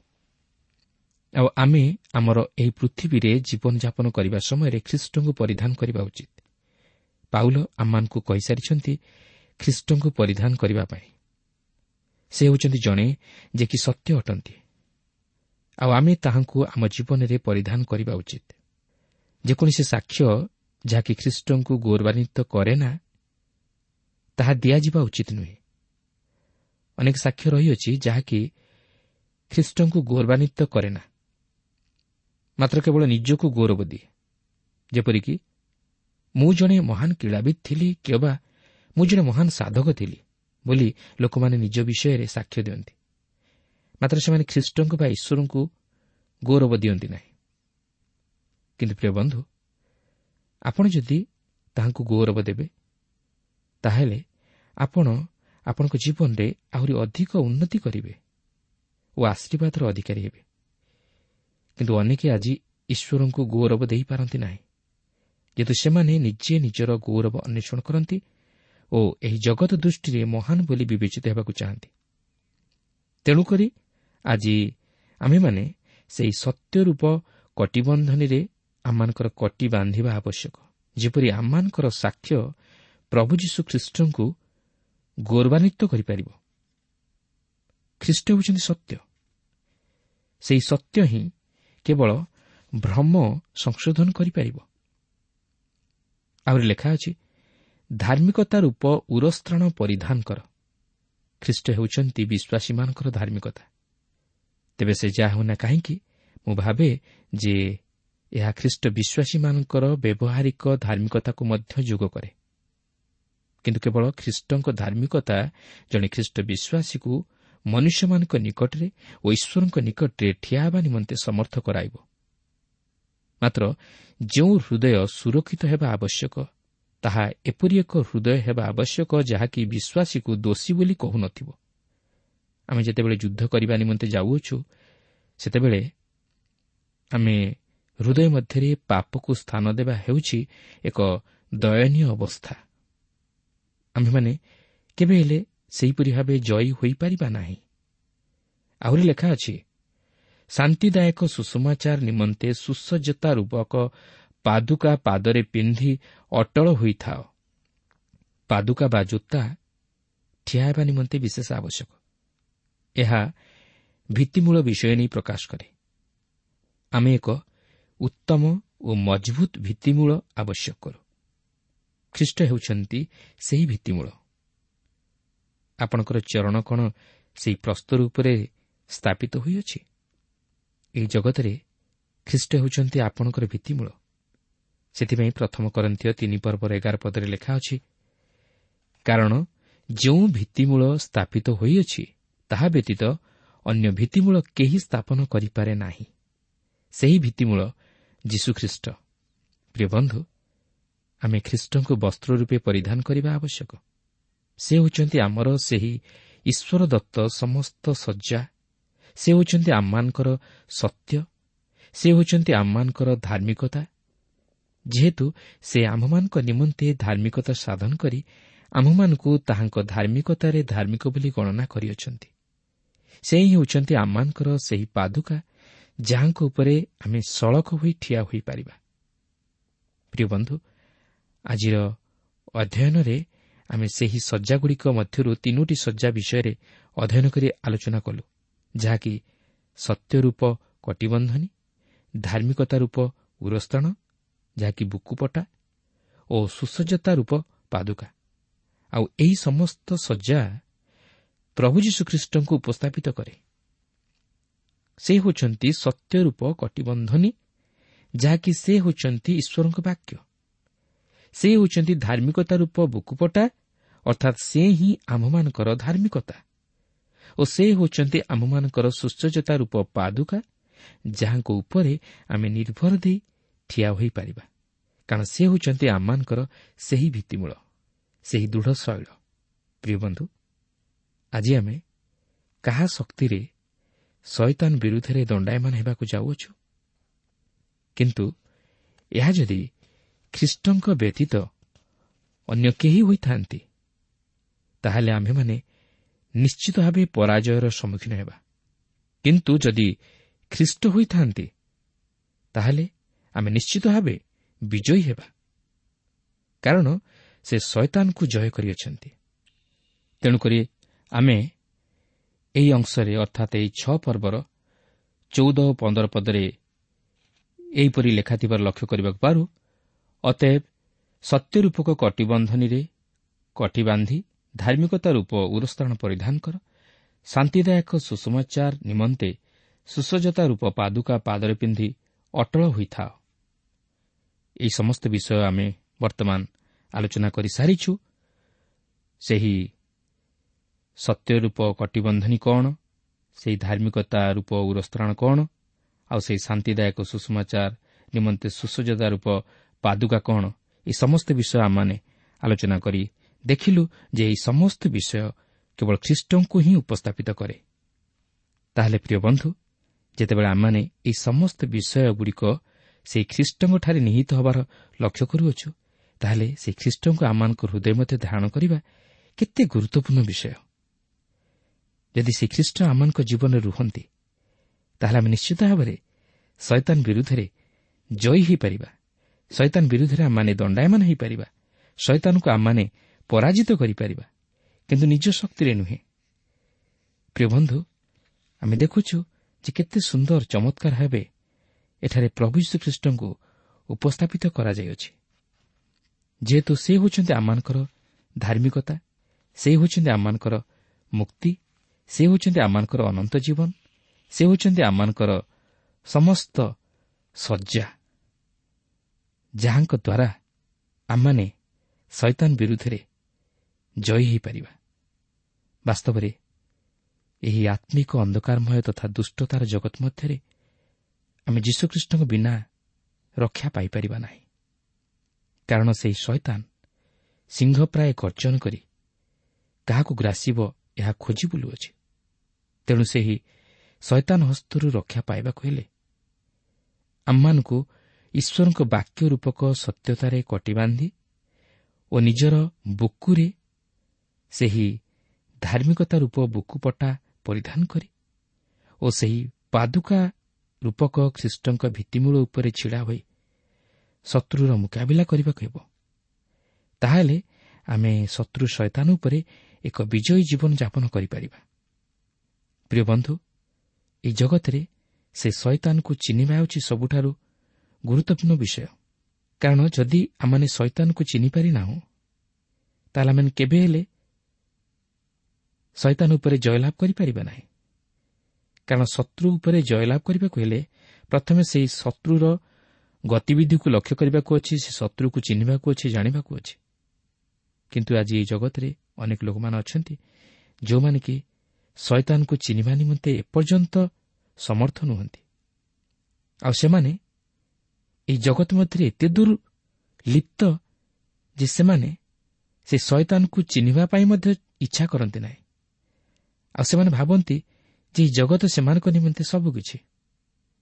ଆଉ ଆମେ ଆମର ଏହି ପୃଥିବୀରେ ଜୀବନଯାପନ କରିବା ସମୟରେ ଖ୍ରୀଷ୍ଟଙ୍କୁ ପରିଧାନ କରିବା ଉଚିତ। ପାଉଲ ଆମମାନଙ୍କୁ କହିସାରିଛନ୍ତି ଖ୍ରୀଷ୍ଟଙ୍କୁ ପରିଧାନ କରିବା ପାଇଁ। ସେ ହେଉଛନ୍ତି ଜଣେ ଯେ କି ସତ୍ୟ ଅଟନ୍ତି, ଆଉ ଆମେ ତାହାଙ୍କୁ ଆମ ଜୀବନରେ ପରିଧାନ କରିବା ଉଚିତ। ଯେକୌଣସି ସାକ୍ଷ୍ୟ ଯାହାକି ଖ୍ରୀଷ୍ଟଙ୍କୁ ଗୌରବାନ୍ୱିତ କରେ ନା, ତାହା ଦିଆଯିବା ଉଚିତ ନୁହେଁ। ଅନେକ ସାକ୍ଷ୍ୟ ରହିଅଛି ଯାହାକି ଖ୍ରୀଷ୍ଟଙ୍କୁ ଗୌରବାନ୍ୱିତ କରେ ନା, ମାତ୍ର କେବଳ ନିଜକୁ ଗୌରବ ଦିଏ। ଯେପରିକି ମୁଁ ଜଣେ ମହାନ କ୍ରୀଡ଼ାବିତ୍ ଥିଲି କିମ୍ବା ମୁଁ ଜଣେ ମହାନ ସାଧକ ଥିଲି ବୋଲି ଲୋକମାନେ ନିଜ ବିଷୟରେ ସାକ୍ଷ୍ୟ ଦିଅନ୍ତି, ମାତ୍ର ସେମାନେ ଖ୍ରୀଷ୍ଟଙ୍କୁ ବା ଈଶ୍ୱରଙ୍କୁ ଗୌରବ ଦିଅନ୍ତି ନାହିଁ। କିନ୍ତୁ ପ୍ରିୟ ବନ୍ଧୁ, ଆପଣ ଯଦି ତାହାଙ୍କୁ ଗୌରବ ଦେବେ, ତାହେଲେ ଆପଣ ଆପଣଙ୍କ ଜୀବନରେ ଆହୁରି ଅଧିକ ଉନ୍ନତି କରିବେ ଓ ଆଶୀର୍ବାଦର ଅଧିକାରୀ ହେବେ। କିନ୍ତୁ ଅନେକେ ଆଜି ଈଶ୍ୱରଙ୍କୁ ଗୌରବ ଦେଇପାରନ୍ତି ନାହିଁ, ଯେହେତୁ ସେମାନେ ନିଜେ ନିଜର ଗୌରବ ଅନ୍ୱେଷଣ କରନ୍ତି ଓ ଏହି ଜଗତ ଦୃଷ୍ଟିରେ ମହାନ ବୋଲି ବିବେଚିତ ହେବାକୁ ଚାହାନ୍ତି। ତେଣୁକରି ଆଜି ଆମ୍ଭେମାନେ ସେହି ସତ୍ୟରୂପ କଟିବନ୍ଧନୀରେ ଆମମାନଙ୍କର କଟି ବାନ୍ଧିବା ଆବଶ୍ୟକ, ଯେପରି ଆମମାନଙ୍କର ସାକ୍ଷ୍ୟ ପ୍ରଭୁ ଯୀଶୁ ଖ୍ରୀଷ୍ଟଙ୍କୁ ଗୌରବାନ୍ୱିତ କରିପାରିବ। ଖ୍ରୀଷ୍ଟ ହେଉଛନ୍ତି ସତ୍ୟ। ସେହି ସତ୍ୟ ହିଁ କେବଳ ଭ୍ରମ ସଂଶୋଧନ କରିପାରିବ। ଆହୁରି ଲେଖା ଅଛି, ଧାର୍ମିକତା ରୂପ ଉରସ୍ତ୍ରାଣ ପରିଧାନ କର। ଖ୍ରୀଷ୍ଟ ହେଉଛନ୍ତି ବିଶ୍ୱାସୀମାନଙ୍କର ଧାର୍ମିକତା। ତେବେ ସେ ଯାହା ହେଉନା କାହିଁକି, ମୁଁ ଭାବେ ଯେ ଏହା ଖ୍ରୀଷ୍ଟ ବିଶ୍ୱାସୀମାନଙ୍କର ବ୍ୟବହାରିକ ଧାର୍ମିକତାକୁ ମଧ୍ୟ ଯୋଗ କରେ। କିନ୍ତୁ କେବଳ ଖ୍ରୀଷ୍ଟଙ୍କ ଧାର୍ମିକତା ଜଣେ ଖ୍ରୀଷ୍ଟ ବିଶ୍ୱାସୀକୁ ମନୁଷ୍ୟମାନଙ୍କ ନିକଟରେ ଓ ଈଶ୍ୱରଙ୍କ ନିକଟରେ ଠିଆ ହେବା ନିମନ୍ତେ ସମର୍ଥ କରାଇବ। ମାତ୍ର ଯେଉଁ ହୃଦୟ ସୁରକ୍ଷିତ ହେବା ଆବଶ୍ୟକ, ତାହା ଏପରି ଏକ ହୃଦୟ ହେବା ଆବଶ୍ୟକ ଯାହାକି ବିଶ୍ୱାସୀକୁ ଦୋଷୀ ବୋଲି କହୁନଥିବ। ଆମେ ଯେତେବେଳେ ଯୁଦ୍ଧ କରିବା ନିମନ୍ତେ ଯାଉଅଛୁ, ସେତେବେଳେ ଆମେ ହୃଦୟ ମଧ୍ୟରେ ପାପକୁ ସ୍ଥାନ ଦେବା ହେଉଛି ଏକ ଦୟନୀୟ ଅବସ୍ଥା। ଆମ୍ଭେମାନେ କେବେ ହେଲେ ସେହିପରି ଭାବେ ଜୟୀ ହୋଇପାରିବା ନାହିଁ। ଆହୁରି ଲେଖା ଅଛି, ଶାନ୍ତିଦାୟକ ସୁସମାଚାର ନିମନ୍ତେ ସୁସଜ୍ଜତା ରୂପକ ପାଦୁକା ପାଦରେ ପିନ୍ଧି ଅଟଳ ହୋଇଥାଅ। ପାଦୁକା ବା ଜୋତା ଠିଆ ହେବା ନିମନ୍ତେ ବିଶେଷ ଆବଶ୍ୟକ। ଏହା ଭିତ୍ତିମୂଳ ବିଷୟ ନେଇ ପ୍ରକାଶ କରେ। ଆମେ ଏକ ଉତ୍ତମ ଓ ମଜବୁତ ଭିତ୍ତିମୂଳ ଆବଶ୍ୟକ କରୁ। ଖ୍ରୀଷ୍ଟ ହେଉଛନ୍ତି ସେହି ଭିତ୍ତିମୂଳ। ଆପଣଙ୍କର ଚରଣ କ'ଣ ସେହି ପ୍ରସ୍ତର ଉପରେ ସ୍ଥାପିତ ହୋଇଅଛି? ଏହି ଜଗତରେ ଖ୍ରୀଷ୍ଟ ହେଉଛନ୍ତି ଆପଣଙ୍କର ଭିତ୍ତିମୂଳ। ସେଥିପାଇଁ ପ୍ରଥମ କରନ୍ଥୀୟ 3:11 ପଦରେ ଲେଖା ଅଛି, କାରଣ ଯେଉଁ ଭିତ୍ତିମୂଳ ସ୍ଥାପିତ ହୋଇଅଛି ତାହା ବ୍ୟତୀତ ଅନ୍ୟ ଭିତ୍ତିମୂଳ କେହି ସ୍ଥାପନ କରିପାରେ ନାହିଁ। ସେହି ଭିତ୍ତିମୂଳ ଯୀଶୁଖ୍ରୀଷ୍ଟ। ପ୍ରିୟ ବନ୍ଧୁ, ଆମେ ଖ୍ରୀଷ୍ଟଙ୍କୁ ବସ୍ତ୍ର ରୂପେ ପରିଧାନ କରିବା ଆବଶ୍ୟକ। ସେ ହେଉଛନ୍ତି ଆମର ସେହି ଈଶ୍ୱର ଦତ୍ତ ସମସ୍ତ ସଜ୍ଜା। ସେ ହେଉଛନ୍ତି ଆମମାନଙ୍କର ସତ୍ୟ। ସେ ହେଉଛନ୍ତି ଆମମାନଙ୍କର ଧାର୍ମିକତା। ଯେହେତୁ ସେ ଆମ୍ଭମାନଙ୍କ ନିମନ୍ତେ ଧାର୍ମିକତା ସାଧନ କରି ଆମ୍ଭମାନଙ୍କୁ ତାହାଙ୍କ ଧାର୍ମିକତାରେ ଧାର୍ମିକ ବୋଲି ଗଣନା କରିଅଛନ୍ତି। ସେ ହିଁ ହେଉଛନ୍ତି ଆମମାନଙ୍କର ସେହି ପାଦୁକା ଯାହାଙ୍କ ଉପରେ ଆମେ ସଳଖ ହୋଇ ଠିଆ ହୋଇପାରିବା। ପ୍ରିୟ ବନ୍ଧୁ, ଆଜିର ଅଧ୍ୟୟନରେ ଆମେ ସେହି ସଜ୍ଜାଗୁଡ଼ିକ ମଧ୍ୟରୁ 3ଟି ସଜ୍ଜା ବିଷୟରେ ଅଧ୍ୟୟନ କରି ଆଲୋଚନା କଲୁ, ଯାହାକି ସତ୍ୟରୂପ କଟିବନ୍ଧନୀ, ଧାର୍ମିକତା ରୂପ ଉରସ୍ତ୍ରାଣ ଯାହାକି ବୁକୁପଟା, ଓ ସୁସଜ୍ଜତା ରୂପ ପାଦୁକା। ଆଉ ଏହି ସମସ୍ତ ସଜ୍ଜା ପ୍ରଭୁ ଯୀଶୁଖ୍ରୀଷ୍ଟଙ୍କୁ ଉପସ୍ଥାପିତ କରେ। ସେ ହେଉଛନ୍ତି ସତ୍ୟରୂପ କଟିବନ୍ଧନୀ, ଯାହାକି ସେ ହେଉଛନ୍ତି ଈଶ୍ୱରଙ୍କ ବାକ୍ୟ। ସେ ହେଉଛନ୍ତି ଧାର୍ମିକତା ରୂପ ବୁକୁପଟା, ଅର୍ଥାତ୍ ସେ ହିଁ ଆମ୍ଭମାନଙ୍କର ଧାର୍ମିକତା, ଓ ସେ ହେଉଛନ୍ତି ଆମ୍ଭମାନଙ୍କର ସୁସଜ୍ଜତା ରୂପ ପାଦୁକା, ଯାହାଙ୍କ ଉପରେ ଆମେ ନିର୍ଭର ଦେଇ ଠିଆ ହୋଇପାରିବା, କାରଣ ସେ ହେଉଛନ୍ତି ଆମମାନଙ୍କର ସେହି ଭିତ୍ତିମୂଳ, ସେହି ଦୃଢ଼ ଶୈଳ। ପ୍ରିୟ ବନ୍ଧୁ, ଆଜି ଆମେ କାହା ଶକ୍ତିରେ ଶୟତାନ ବିରୁଦ୍ଧରେ ଦଣ୍ଡାୟମାନ ହେବାକୁ ଯାଉଅଛୁ? କିନ୍ତୁ ଏହା ଯଦି ଖ୍ରୀଷ୍ଟଙ୍କ ବ୍ୟତୀତ ଅନ୍ୟ କେହି ହୋଇଥାନ୍ତି, ତାହେଲେ ଆମ୍ଭେମାନେ ନିଶ୍ଚିତ ଭାବେ ପରାଜୟର ସମ୍ମୁଖୀନ ହେବା। କିନ୍ତୁ ଯଦି ଖ୍ରୀଷ୍ଟ ହୋଇଥାନ୍ତି, ତାହେଲେ ଆମେ ନିଶ୍ଚିତ ଭାବେ ବିଜୟୀ ହେବା, କାରଣ ସେ ଶୟତାନକୁ ଜୟ କରିଅଛନ୍ତି। ତେଣୁକରି ଆମେ ଏହି ଅଂଶରେ ଅର୍ଥାତ୍ ଏହି 6 ପର୍ବର 14 ଓ 15 ପଦରେ ଏହିପରି ଲେଖାଥିବାର ଲକ୍ଷ୍ୟ କରିବାକୁ ପାରୁ, ଅତଏବ ସତ୍ୟରୂପକ କଟିବନ୍ଧନୀରେ କଟି ବାନ୍ଧି ଧାର୍ମିକତା ରୂପ ଉରସ୍ତ୍ରାଣ ପରିଧାନ କର, ଶାନ୍ତିଦାୟକ ସୁସମାଚାର ନିମନ୍ତେ ସୁସଜ୍ଜତା ରୂପ ପାଦୁକା ପାଦରେ ପିନ୍ଧି ଅଟଳ ହୋଇଥାଅ। ଏହି ସମସ୍ତ ବିଷୟ ଆମେ ବର୍ତ୍ତମାନ ଆଲୋଚନା କରିସାରିଛୁ। ସେହି ସତ୍ୟରୂପ କଟିବନ୍ଧନୀ କ'ଣ, ସେହି ଧାର୍ମିକତା ରୂପ ଉରସ୍ତ୍ରାଣ କ'ଣ, ଆଉ ସେହି ଶାନ୍ତିଦାୟକ ସୁଷମାଚାର ନିମନ୍ତେ ସୁସଜ୍ଜତା ରୂପ ପାଦୁକା କ'ଣ, ଏହି ସମସ୍ତ ବିଷୟ ଆମମାନେ ଆଲୋଚନା କରି ଦେଖିଲୁ ଯେ ଏହି ସମସ୍ତ ବିଷୟ କେବଳ ଖ୍ରୀଷ୍ଟଙ୍କୁ ହିଁ ଉପସ୍ଥାପିତ କରେ। ତାହେଲେ ପ୍ରିୟ ବନ୍ଧୁ, ଯେତେବେଳେ ଆମମାନେ ଏହି ସମସ୍ତ ବିଷୟଗୁଡ଼ିକ ସେହି ଖ୍ରୀଷ୍ଟଙ୍କଠାରେ ନିହିତ ହେବାର ଲକ୍ଷ୍ୟ କରୁଅଛୁ, ତାହେଲେ ସେହି ଖ୍ରୀଷ୍ଟଙ୍କୁ ଆମମାନଙ୍କ ହୃଦୟ ମଧ୍ୟ ଧାରଣ କରିବା କେତେ ଗୁରୁତ୍ୱପୂର୍ଣ୍ଣ ବିଷୟ। ଯଦି ସେ ଖ୍ରୀଷ୍ଟ ଆମମାନଙ୍କ ଜୀବନରେ ରୁହନ୍ତି, ତାହେଲେ ଆମେ ନିଶ୍ଚିତ ଭାବରେ ଶୟତାନ ବିରୁଦ୍ଧରେ ଜୟୀ ହୋଇପାରିବା। ଶୟତାନ ବିରୁଦ୍ଧରେ ଆମମାନେ ଦଣ୍ଡାୟମାନ ହୋଇପାରିବା। ଶୟତାନକୁ ଆମମାନେ ପରାଜିତ କରିପାରିବା, କିନ୍ତୁ ନିଜ ଶକ୍ତିରେ ନୁହେଁ। ପ୍ରିୟ ବନ୍ଧୁ, ଆମେ ଦେଖୁଛୁ ଯେ କେତେ ସୁନ୍ଦର ଚମତ୍କାର ଭାବେ ଏଠାରେ ପ୍ରଭୁ ଯୀଶୁଖ୍ରୀଷ୍ଟଙ୍କୁ ଉପସ୍ଥାପିତ କରାଯାଇଅଛି। ଯେହେତୁ ସେ ହେଉଛନ୍ତି ଆମମାନଙ୍କର ଧାର୍ମିକତା, ସେ ହେଉଛନ୍ତି ଆମମାନଙ୍କର ମୁକ୍ତି, ସେ ହେଉଛନ୍ତି ଆମମାନଙ୍କର ଅନନ୍ତ ଜୀବନ, ସେ ହେଉଛନ୍ତି ଆମମାନଙ୍କର ସମସ୍ତ ଶଯ୍ୟା, ଯାହାଙ୍କ ଦ୍ୱାରା ଆମମାନେ ଶୟତାନ ବିରୁଦ୍ଧରେ ଜୟୀ ହୋଇପାରିବା। ବାସ୍ତବରେ ଏହି ଆତ୍ମିକ ଅନ୍ଧକାରମୟ ତଥା ଦୁଷ୍ଟତାର ଜଗତ ମଧ୍ୟରେ ଆମେ ଯୀଶୁଖ୍ରୀଷ୍ଟଙ୍କ ବିନା ରକ୍ଷା ପାଇପାରିବା ନାହିଁ। କାରଣ ସେହି ଶୟତାନ ସିଂହ ପ୍ରାୟ ଗର୍ଜନ କରି କାହାକୁ ଗ୍ରାସିବ ଏହା ଖୋଜି ବୁଲୁଅଛି। ତେଣୁ ସେହି ଶୟତାନ ହସ୍ତରୁ ରକ୍ଷା ପାଇବାକୁ ହେଲେ ଆମମାନଙ୍କୁ ଈଶ୍ୱରଙ୍କ ବାକ୍ୟ ରୂପକ ସତ୍ୟତାରେ କଟିବାନ୍ଧି ଓ ନିଜର ବୁକୁରେ ସେହି ଧାର୍ମିକତା ରୂପ ବୁକୁପଟା ପରିଧାନ କରି ଓ ସେହି ପାଦୁକା ରୂପକ ଖ୍ରୀଷ୍ଟଙ୍କ ଭିତ୍ତିମୂଳ ଉପରେ ଛିଡ଼ା ହୋଇ ଶତ୍ରୁର ମୁକାବିଲା କରିବାକୁ ହେବ। ତାହେଲେ ଆମେ ଶତ୍ରୁ ଶୟତାନ ଉପରେ ଏକ ବିଜୟୀ ଜୀବନ ଯାପନ କରିପାରିବା। ପ୍ରିୟ ବନ୍ଧୁ, ଏହି ଜଗତରେ ସେ ଶୟତାନକୁ ଚିହ୍ନିବା ହେଉଛି ସବୁଠାରୁ ଗୁରୁତ୍ୱପୂର୍ଣ୍ଣ ବିଷୟ। କାରଣ ଯଦି ଆମମାନେ ଶୟତାନକୁ ଚିହ୍ନିପାରିନାହୁଁ, ତାହେଲେ ଆମେ କେବେ ହେଲେ ଶୟତାନ ଉପରେ ଜୟଲାଭ କରିପାରିବା ନାହିଁ। କାରଣ ଶତ୍ରୁ ଉପରେ ଜୟଲାଭ କରିବାକୁ ହେଲେ ପ୍ରଥମେ ସେହି ଶତ୍ରୁର ଗତିବିଧିକୁ ଲକ୍ଷ୍ୟ କରିବାକୁ ଅଛି, ସେ ଶତ୍ରୁକୁ ଚିହ୍ନିବାକୁ ଅଛି, ଜାଣିବାକୁ ଅଛି। କିନ୍ତୁ ଆଜି ଏହି ଜଗତରେ ଅନେକ ଲୋକମାନେ ଅଛନ୍ତି ଯେଉଁମାନେ କି ଶୟତାନକୁ ଚିହ୍ନିବା ନିମନ୍ତେ ଏପର୍ଯ୍ୟନ୍ତ ସମର୍ଥ ନୁହନ୍ତି। ଆଉ ସେମାନେ ଏହି ଜଗତ ମଧ୍ୟରେ ଏତେ ଦୂର ଲିପ୍ତ ଯେ ସେମାନେ ସେ ଶୟତାନକୁ ଚିହ୍ନିବା ପାଇଁ ମଧ୍ୟ ଇଚ୍ଛା କରନ୍ତି ନାହିଁ। ଆଉ ସେମାନେ ଭାବନ୍ତି ଯେ ଏହି ଜଗତ ସେମାନଙ୍କ ନିମନ୍ତେ ସବୁକିଛି,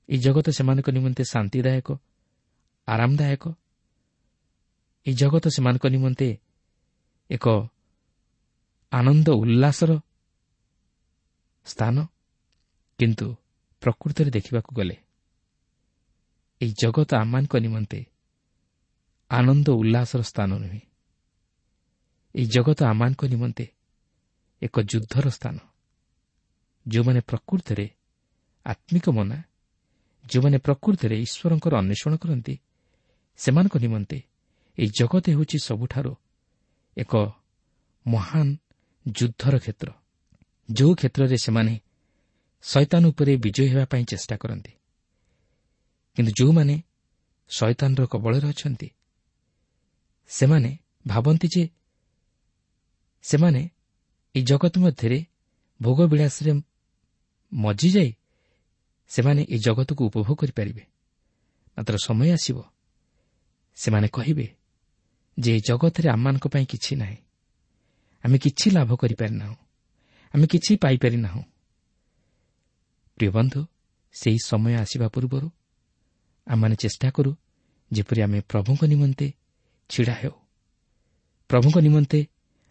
ଏହି ଜଗତ ସେମାନଙ୍କ ନିମନ୍ତେ ଶାନ୍ତିଦାୟକ, ଆରାମଦାୟକ, ଏହି ଜଗତ ସେମାନଙ୍କ ନିମନ୍ତେ ଏକ ଆନନ୍ଦ ଉଲ୍ଲାସର ସ୍ଥାନ। କିନ୍ତୁ ପ୍ରକୃତରେ ଦେଖିବାକୁ ଗଲେ ଏହି ଜଗତ ଆମମାନଙ୍କ ନିମନ୍ତେ ଆନନ୍ଦ ଉଲ୍ଲାସର ସ୍ଥାନ ନୁହେଁ। ଏହି ଜଗତ ଆମମାନଙ୍କ ନିମନ୍ତେ ଏକ ଯୁଦ୍ଧର ସ୍ଥାନ। ଯେଉଁମାନେ ପ୍ରକୃତରେ ଆତ୍ମିକ ମନା, ଯେଉଁମାନେ ପ୍ରକୃତରେ ଈଶ୍ୱରଙ୍କର ଅନ୍ୱେଷଣ କରନ୍ତି, ସେମାନଙ୍କ ନିମନ୍ତେ ଏହି ଜଗତ ହେଉଛି ସବୁଠାରୁ ଏକ ମହାନ ଯୁଦ୍ଧର କ୍ଷେତ୍ର, ଯେଉଁ କ୍ଷେତ୍ରରେ ସେମାନେ ଶୟତାନ ଉପରେ ବିଜୟୀ ହେବା ପାଇଁ ଚେଷ୍ଟା କରନ୍ତି। କିନ୍ତୁ ଯେଉଁମାନେ ଶୟତାନର କବଳରେ ଅଛନ୍ତି, ସେମାନେ ଭାବନ୍ତି ଯେ ସେମାନେ ଏହି ଜଗତ ମଧ୍ୟରେ ଭୋଗବିଳାସରେ ମଜିଯାଇ ସେମାନେ ଏହି ଜଗତକୁ ଉପଭୋଗ କରିପାରିବେ। ମାତ୍ର ସମୟ ଆସିବ ସେମାନେ କହିବେ ଯେ ଏ ଜଗତରେ ଆମମାନଙ୍କ ପାଇଁ କିଛି ନାହିଁ, ଆମେ କିଛି ଲାଭ କରିପାରିନାହୁଁ, ଆମେ କିଛି ପାଇପାରିନାହୁଁ। ପ୍ରିୟ ବନ୍ଧୁ, ସେହି ସମୟ ଆସିବା ପୂର୍ବରୁ ଆମମାନେ ଚେଷ୍ଟା କରୁ ଯେପରି ଆମେ ପ୍ରଭୁଙ୍କ ନିମନ୍ତେ ଛିଡ଼ା ହେଉ, ପ୍ରଭୁଙ୍କ ନିମନ୍ତେ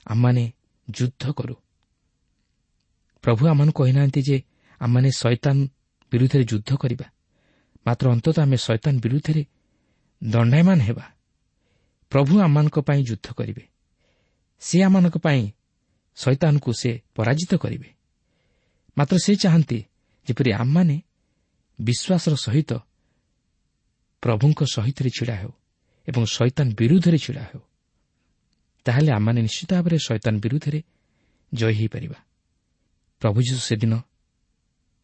ଆମମାନେ ଯୁଦ୍ଧ କରୁ। ପ୍ରଭୁ ଆମମାନଙ୍କୁ କହିନାହାନ୍ତି ଯେ ଆମମାନେ ଶୟତାନ ବିରୁଦ୍ଧରେ ଯୁଦ୍ଧ କରିବା, ମାତ୍ର ଅନ୍ତତଃ ଆମେ ଶୟତାନ ବିରୁଦ୍ଧରେ ଦଣ୍ଡାୟମାନ ହେବା। ପ୍ରଭୁ ଆମମାନଙ୍କ ପାଇଁ ଯୁଦ୍ଧ କରିବେ, ସେ ଆମମାନଙ୍କ ପାଇଁ ଶୟତାନକୁ ସେ ପରାଜିତ କରିବେ। ମାତ୍ର ସେ ଚାହାନ୍ତି ଯେପରି ଆମମାନେ ବିଶ୍ୱାସର ସହିତ ପ୍ରଭୁଙ୍କ ସହିତ ଛିଡ଼ା ହେଉ ଏବଂ ଶୟତାନ ବିରୁଦ୍ଧରେ ଛିଡ଼ା ହେଉ। ତାହେଲେ ଆମମାନେ ନିଶ୍ଚିତ ଭାବରେ ଶୟତାନ ବିରୁଦ୍ଧରେ ଜୟୀ ହୋଇପାରିବା। ପ୍ରଭୁ ଯୀଶୁ ସେଦିନ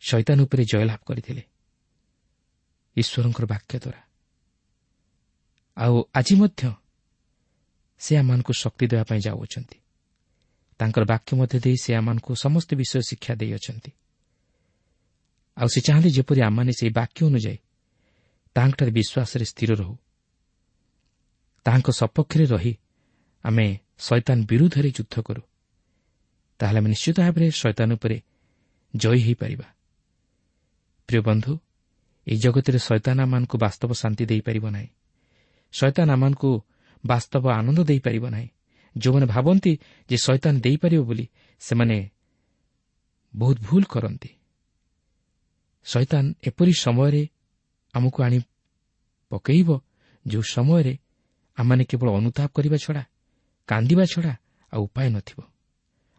ଶୟତାନ ଉପରେ ଜୟଲାଭ କରିଥିଲେ ଈଶ୍ୱରଙ୍କର ବାକ୍ୟ ଦ୍ୱାରା। ଆଉ ଆଜି ମଧ୍ୟ ସେ ଆମମାନଙ୍କୁ ଶକ୍ତି ଦେବା ପାଇଁ ଯାଉଅଛନ୍ତି। ତାଙ୍କର ବାକ୍ୟ ମଧ୍ୟ ଦେଇ ସେ ଆମମାନଙ୍କୁ ସମସ୍ତ ବିଷୟ ଶିକ୍ଷା ଦେଇଅଛନ୍ତି। ଆଉ ସେ ଚାହାନ୍ତି ଯେପରି ଆମମାନେ ସେହି ବାକ୍ୟ ଅନୁଯାୟୀ ତାହାଙ୍କଠାରେ ବିଶ୍ୱାସରେ ସ୍ଥିର ରହୁ, ତାହାଙ୍କ ସପକ୍ଷରେ ରହି ଆମେ ଶୈତାନ ବିରୁଦ୍ଧରେ ଯୁଦ୍ଧ କରୁ। ତାହେଲେ ଆମେ ନିଶ୍ଚିତ ଭାବରେ ଶୈତାନ ଉପରେ ଜୟୀ ହୋଇପାରିବା। ପ୍ରିୟ ବନ୍ଧୁ, ଏହି ଜଗତରେ ଶୈତାନ ଆମମାନଙ୍କୁ ବାସ୍ତବ ଶାନ୍ତି ଦେଇପାରିବ ନାହିଁ। ଶୈତାନ ଆମମାନଙ୍କୁ ବାସ୍ତବ ଆନନ୍ଦ ଦେଇପାରିବ ନାହିଁ। ଯେଉଁମାନେ ଭାବନ୍ତି ଯେ ଶୈତାନ ଦେଇପାରିବ ବୋଲି, ସେମାନେ ବହୁତ ଭୁଲ କରନ୍ତି। ଶୈତାନ ଏପରି ସମୟରେ ଆମକୁ ଆଣି ପକାଇବ ଯେଉଁ ସମୟରେ ଆମମାନେ କେବଳ ଅନୁତାପ କରିବା ଛଡ଼ା, କାନ୍ଦିବା ଛଡ଼ା ଆଉ ଉପାୟ ନଥିବ।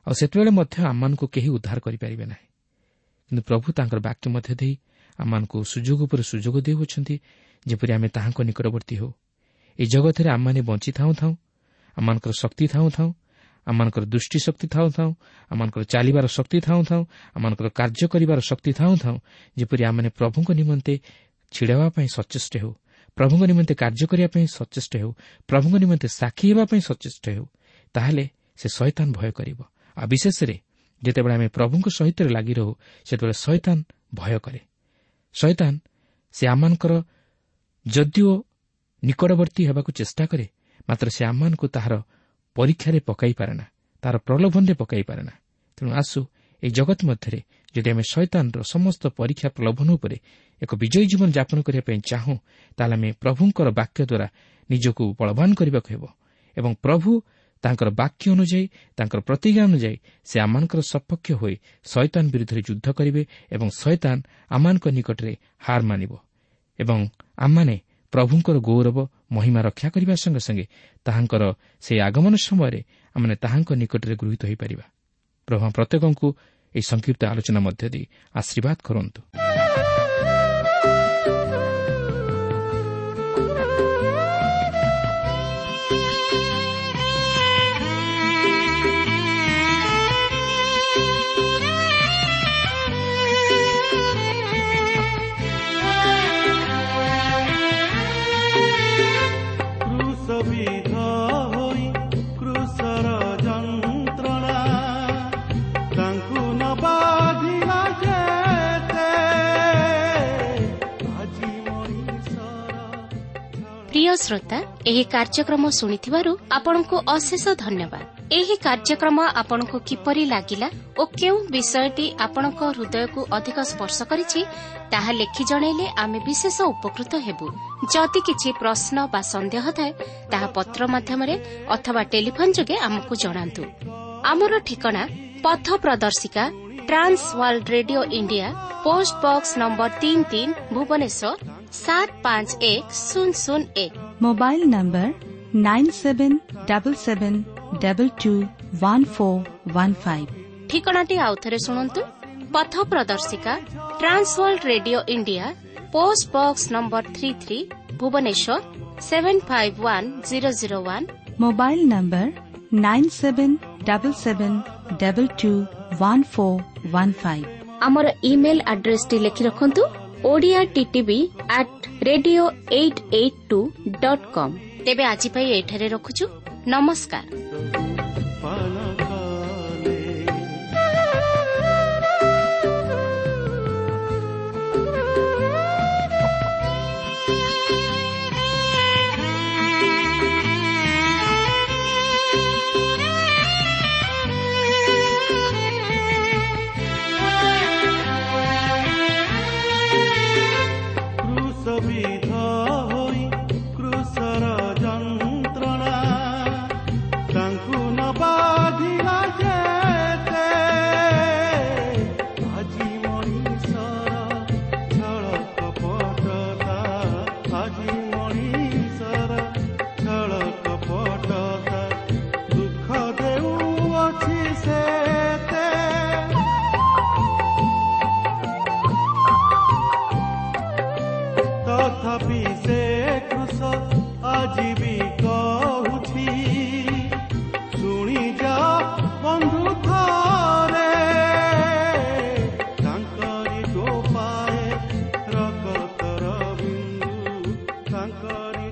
ଆଉ ସେତେବେଳେ ମଧ୍ୟ ଆମମାନଙ୍କୁ କେହି ଉଦ୍ଧାର କରିପାରିବେ ନାହିଁ। କିନ୍ତୁ ପ୍ରଭୁ ତାଙ୍କର ବାକ୍ୟ ମଧ୍ୟ ଦେଇ ଆମମାନଙ୍କୁ ସୁଯୋଗ ଉପରେ ସୁଯୋଗ ଦେଉଅଛନ୍ତି, ଯେପରି ଆମେ ତାହାଙ୍କ ନିକଟବର୍ତ୍ତୀ ହେଉ। ଏହି ଜଗତରେ ଆମମାନେ ବଞ୍ଚି ଥାଉଁ ଥାଉଁ, ଆମମାନଙ୍କର ଶକ୍ତି ଥାଉଁ ଥାଉଁ, ଆମମାନଙ୍କର ଦୃଷ୍ଟିଶକ୍ତି ଥାଉଁ ଥାଉଁ, ଆମମାନଙ୍କର ଚାଲିବାର ଶକ୍ତି ଥାଉଁ ଥାଉଁ, ଆମମାନଙ୍କର କାର୍ଯ୍ୟ କରିବାର ଶକ୍ତି ଥାଉଁ ଥାଉଁ, ଯେପରି ଆମମାନେ ପ୍ରଭୁଙ୍କ ନିମନ୍ତେ ଛିଡ଼ା ହେବା ପାଇଁ ସଚେଷ୍ଟ ହେଉ, ପ୍ରଭୁଙ୍କ ନିମନ୍ତେ କାର୍ଯ୍ୟ କରିବା ପାଇଁ ସଚେଷ୍ଟ ହେଉ, ପ୍ରଭୁଙ୍କ ନିମନ୍ତେ ସାକ୍ଷୀ ହେବା ପାଇଁ ସଚେଷ୍ଟ ହେଉ, ତାହେଲେ ସେ ଶୈତାନ ଭୟ କରିବ। ଆଉ ବିଶେଷରେ ଯେତେବେଳେ ଆମେ ପ୍ରଭୁଙ୍କ ସହିତ ଲାଗି ରହୁ, ସେତେବେଳେ ଶୈତାନ ଭୟ କରେ। ଶୈତାନ ସେ ଆମମାନଙ୍କର ଯଦିଓ ନିକଟବର୍ତ୍ତୀ ହେବାକୁ ଚେଷ୍ଟା କରେ, ମାତ୍ର ସେ ଆମମାନଙ୍କୁ ତାହାର ପରୀକ୍ଷାରେ ପକାଇ ପାରେ ନା, ତାହାର ପ୍ରଲୋଭନରେ ପକାଇ ପାରେ ନା। ତେଣୁ ଆସୁ ଏହି ଜଗତ ମଧ୍ୟରେ ଯଦି ଆମେ ଶୈତାନର ସମସ୍ତ ପରୀକ୍ଷା ପ୍ରଲୋଭନ ଉପରେ ଏକ ବିଜୟୀ ଜୀବନ ଯାପନ କରିବା ପାଇଁ ଚାହୁଁ, ତାହେଲେ ଆମେ ପ୍ରଭୁଙ୍କର ବାକ୍ୟ ଦ୍ୱାରା ନିଜକୁ ବଳବାନ କରିବାକୁ ହେବ ଏବଂ ପ୍ରଭୁ ତାଙ୍କର ବାକ୍ୟ ଅନୁଯାୟୀ, ତାଙ୍କର ପ୍ରତିଜ୍ଞା ଅନୁଯାୟୀ ସେ ଆମମାନଙ୍କର ସପକ୍ଷ ହୋଇ ଶୈତାନ ବିରୁଦ୍ଧରେ ଯୁଦ୍ଧ କରିବେ ଏବଂ ଶୈତାନ ଆମମାନଙ୍କ ନିକଟରେ ହାର ମାନିବ ଏବଂ ଆମମାନେ ପ୍ରଭୁଙ୍କର ଗୌରବ ମହିମା ରକ୍ଷା କରିବା ସଙ୍ଗେ ସଙ୍ଗେ ତାହାଙ୍କର ସେହି ଆଗମନ ସମୟରେ ଆମମାନେ ତାହାଙ୍କ ନିକଟରେ ଗୃହୀତ ହୋଇପାରିବା। ପ୍ରଭୁ ପ୍ରତ୍ୟେକଙ୍କୁ ଏହି ସଂକ୍ଷିପ୍ତ ଆଲୋଚନା ମଧ୍ୟ ଦେଇ ଆଶୀର୍ବାଦ କରନ୍ତୁ। ପ୍ରିୟ ଶ୍ରୋତା, ଏହି କାର୍ଯ୍ୟକ୍ରମ ଶୁଣିଥିବାରୁ ଆପଣଙ୍କୁ ଅଶେଷ ଧନ୍ୟବାଦ। ଏହି କାର୍ଯ୍ୟକ୍ରମ ଆପଣଙ୍କୁ କିପରି ଲାଗିଲା ଓ କେଉଁ ବିଷୟଟି ଆପଣଙ୍କ ହୃଦୟକୁ ଅଧିକ ସ୍ପର୍ଶ କରିଛି, ତାହା ଲେଖି ଜଣାଇଲେ ଆମେ ବିଶେଷ ଉପକୃତ ହେବୁ। ଯଦି କିଛି ପ୍ରଶ୍ନ ବା ସନ୍ଦେହ ଥାଏ, ତାହା ପତ୍ର ମାଧ୍ୟମରେ ଅଥବା ଟେଲିଫୋନ୍ ଯୋଗେ ଆମକୁ ଜଣାନ୍ତୁ। ଆମର ଠିକଣା ପଥ ପ୍ରଦର୍ଶିକା, Trans World Radio India, post box number 33, Bhubaneswar 751001। Mobile number 9777221415। ଠିକଣାଟି ଆଉଥରେ ଶୁଣନ୍ତୁ। ପଥ ପ୍ରଦର୍ଶିକା, Trans World Radio India, post box number 33, Bhubaneswar 751001। Mobile number 9777221415। ଆମର ଇମେଲ୍ ଆଡ୍ରେସଟି ଲେଖି ରଖନ୍ତୁ, Odia TTV at radio 882.com। ତେବେ ଆଜି ପାଇଁ ଏଠାରେ ରଖୁଛୁ। ନମସ୍କାର। ତାଙ୍କରି